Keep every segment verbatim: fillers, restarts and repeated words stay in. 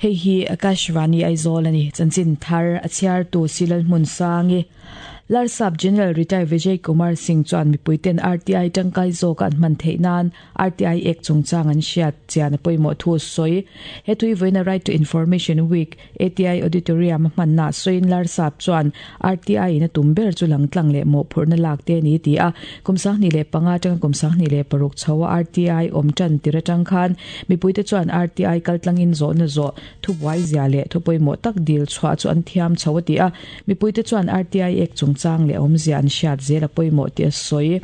Hei hi Akashvani Aizawl ani chanchin thar a chhiar tu Silal Hmun Sangi Larsap General Retired Vijay Kumar Singh chuan mipuiten R T I tangkai zawk an hman theih nan R T I ek chungchang an hriat chian a pawimawh thu sawi. He tui vawiina Right to Information Week A T I Auditorium a hmanna sawiin Larsap chuan R T I in a tum ber chu langtlang leh mawhphurhna lak te ni ti a. Kum sanghnih leh panga atanga kum sanghnih leh paruk chho a R T I awm tan tir atang khan mipuite chuan R T I kaltlangin zawhna zawh thubuai zia leh thu pawimawh tak dil chhuah chu an thiam chho a ti a. Mipuite chuan R T I ek chung chang le awm zia an hriat zel a pawimawh ti a sawi.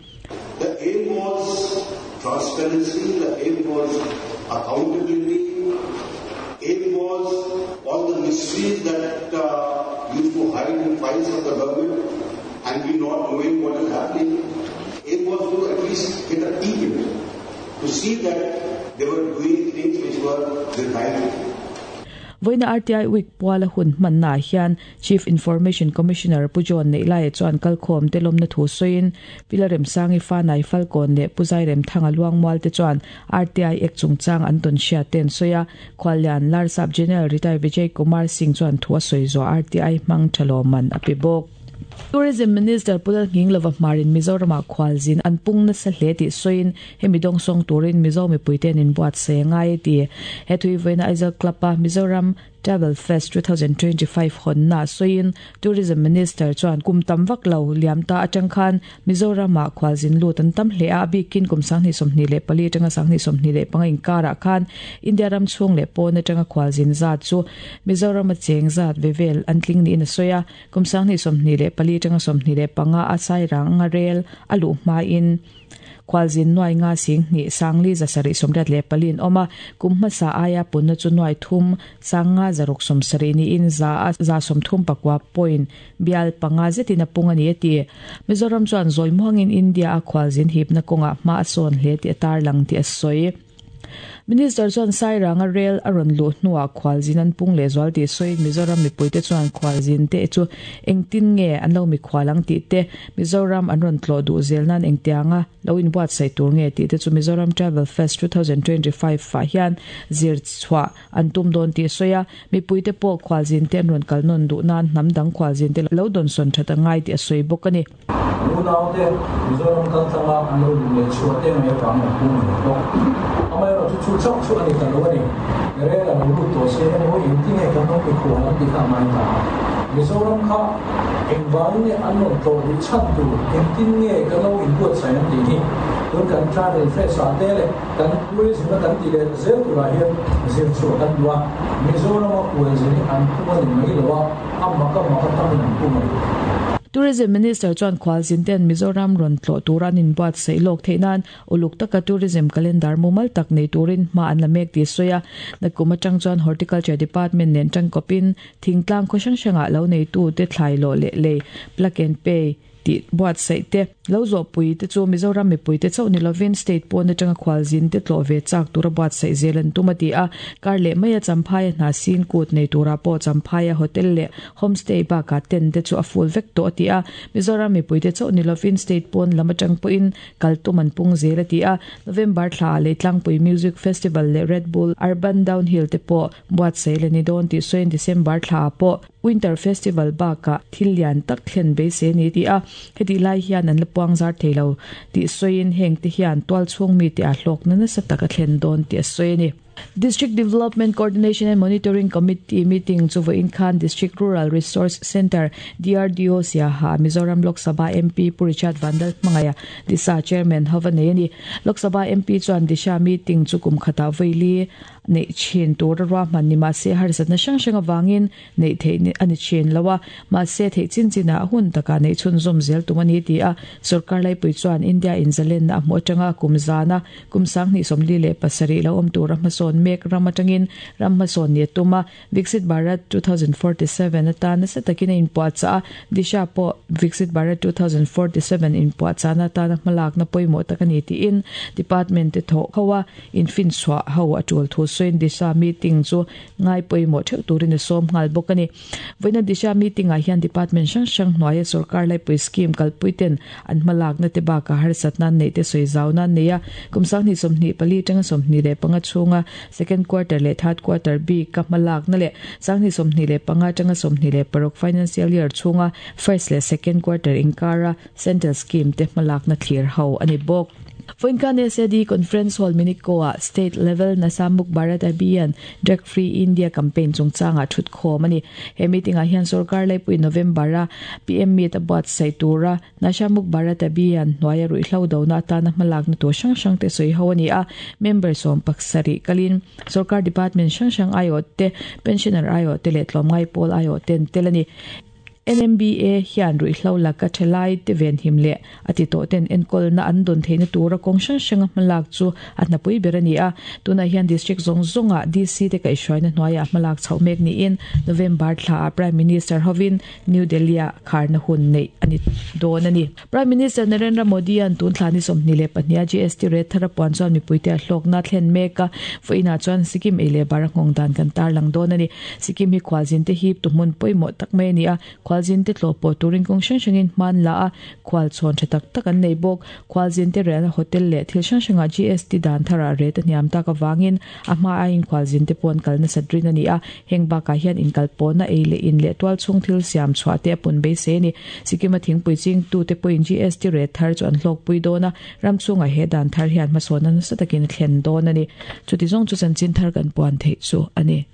The aim was transparency, the aim was accountability, aim was all the mysteries that uh, used to hide in files of the government and we not knowing what is happening. Aim was to at least get a peek in it, to see that they were doing things which were the right. Voina R T I Week puala hun hmanna hian Chief Information Commissioner Pu John Neilai chuan kalkhawm te lawmna thu sawiin Pilarem Sangi Fanai Falcon leh Puzairem Thanga Luangmual te chuan R T I ek chungchang an tawn hriat ten sawi a. Khwallian Larsap General Retired Vijay Kumar Singh chuan thu a sawi zawh R T I hmang thalawman a pe bawk. Tourism Minister Pulal Nginglova Marin Mizoram khwalzin an pungna sa hle ti soin hemi dong song turin Mizo mi puiten in buat se ngai ti. He thui voina Aizawl Club a Mizoram Travel Fest twenty twenty-five hon na soin Tourism Minister chuan kum tam vak lo liam ta atang khan Mizoram a khwalzin lut an tam hle a bikin kum sanghni somhni le pali tanga sanghni somhni le panga inkara khan India ram chung le pawna tanga khwalzin za chu Mizoram a cheng zat vevel an tling ni in soya kum sanghni somhni le pali tanga somhni le panga a sai rang nga rel alu ma in khwalzin nuai nga sing ni sangli zasari somrat le palin oma kumma sa aya punna chu nuai thum sanga zaruk somsari ni in za za somthum pakwa point bial panga zetina punga ni ati. Mizoram chuan zoi muangin India a khwalzin hipna konga ma ason hle ti atar lang ti asoi. Minister chuan Sairanga rail aron lu hnuah khwalzin an pung le zual ti sawi Mizoram mipuite chuan khwalzin te chu engtin nge an lo mi khwalang ti te Mizoram an rawn tlo du zel nan engtianga lo in buat sai tur nge ti te chu Mizoram Travel Fest twenty twenty-five fa hian zir chhuah an tum dawn ti sawi a. Mipuite pawh khwalzin te an rawn kal nawn duh nan hnam dang khwalzin te lo dawn sawn that angai ti a sawi bawk ani. Unaute Mizoram kaltlanga an lo le chhuah te mai vang an pung ni bawk. Amai chu chu chu ani ta lo ani re la lu to se ne ho in ti nge kan no mi khuan ti kha mai ta Mizoram kha engwang ne an non to du chat du eng tin nge kan lo in buat sai an ti ni tun kan travel fest a te le kan tourism kan ti le zel tu ra hian zir chu kan duwa Mizoram a kual zin an pung ani mai lo a amma ka ma ka tam an pung ani. Tourism Minister chuan khwalzin ten Mizoram rawn tlo turan in buat sei lok theinan uluk taka tourism calendar mumal tak nei turin ma an la mek ti soya. Nakuma tang chuan Horticulture Department nen tang kopin thingtlang khaw hrang hranga lo nei tu te thlai lo le le plug and pay ti buat sei te lo zo pui te chu Mizoram mi pui te chau ni lovin state pawna tanga khwalzin te tlo ve chak tura buat sei zelan tumati a. Kar le maya champhai hna sin kut nei tura po champhai hotel le homestay ba ka ten te chu a full vek to ti a. Mizoram mi pui te chau ni lovin state pawn lama tang puin kaltuman pung zela ti a. November thla le tlangpui music festival le Red Bull Urban Downhill te po buat sei le ni don ti soin December thla po Winter Festival ba ka thilian tak thlen be se ni ti a. Heti lai hian an lapuang zar theilo ti soin heng te hian tual chung mi ti a hlok na na sa taka thlen don ti a soini. District Development Coordination and Monitoring Committee meeting chu vo in khan District Rural Resource Center D R D O Siaha Mizoram Lok Sabha M P Pu Richard Vandal Mangaya Disa Chairman Havaneni Lok Sabha M P chuan Disha meeting chu kum khata voili nei chin tur ra man ni ma se har sat na sang sang awangin nei thei ni ani chin lawa ma se thei chin china hun taka nei chun zum zel tumani ti a. Sarkar lai pui chuan India in zalen na mu atanga kumzana kumsang ni somli le pasari lo om tur ma son mek ramatangin rammason ni tuma Viksit Bharat twenty forty-seven atan sa takina in puacha Disha po Viksit Bharat twenty forty-seven in puacha na ta malak na poimo takani ti in department te tho khawa in fin swa hawa atul thu sawiin Disha meeting chu ngai pawimawh theuh turin a sawm nghal bawk a ni. Vawiina Disha meeting ah hian department hrang hrang hnuaia sorkar laipui scheme kalpui ten an hmalakna te bakah harsatna an neih te sawi zau nan nei a. Kum sanghnih sawmhnih pali atanga sawmhnih leh panga chhunga second quarter leh third quarter bik a hmalakna leh sanghnih sawmhnih leh panga atanga sawmhnih leh paruk financial year chhunga first leh second quarter inkara central scheme te hmalakna thlir ho a ni bawk. Vawiin khan S A D Conference Hall Minico ah State Level Nasha Mukt Bharat Abhiyan Drug Free India Campaign chungchangah thutkhawm a ni. He meeting ah hian sorkar laipui November a P M Meet a buatsaih tura Nasha Mukt Bharat Abhiyan hnuaia ruihhlo dona atana hmalakna tur hrang hrang te sawi ho a ni a. Member sawm pasarih kalin sorkar department hrang hrang aiawh te, pensioner aiawh te leh tlawmngai pawl aiawh te an tel a ni. N M B A hian ruihhlo laka thalai te venhim leh a ti tawh ten enkawlna an dawn theihna tura kawng hrang hranga hmalak chu a hnapui ber a ni a. Tunah hian district zawng zawngah D C te kaihhruaina hnuaiah hmalak chhoh mek niin November thla ah Prime Minister hovin New Delhi ah kharna hun neih a ni dawn a ni. Prime Minister Narendra Modi an tun thla ni sawmhnih leh pahnih a G S T rate thar a puan chuan mipuite a hlawkna thlen mek a. Vawiinah chuan Sikkim ei leh bar a nghawng dan kan tarlang dawn a ni. Sikkim hi khualzin te hip tu hmun pawimawh tak mai a ni a. Khualzin te tlawh pawh turin kawng hrang hrangin hman la a, khual chhawn tha tak tak an nei bawk. Khualzin te riahna hotel leh thil hrang hrangah G S T dan tharah rate a hniam tak avangin a hma aiin khualzin te pawh an kal nasat rin a ni a. Heng bakah hian inkal pawhna ei leh in leh tual chhung thil siam chhuah te a pun beisei a ni. Sikkim a thingpui chingtu te pawhin G S T rate thar chu an hlawkpui dawn a, ram chhungah he dan thar hian hmasawnna nasa takin a thlen dawn a ni. Chuti zawng chu chanchin thar kan puan theih chu a ni.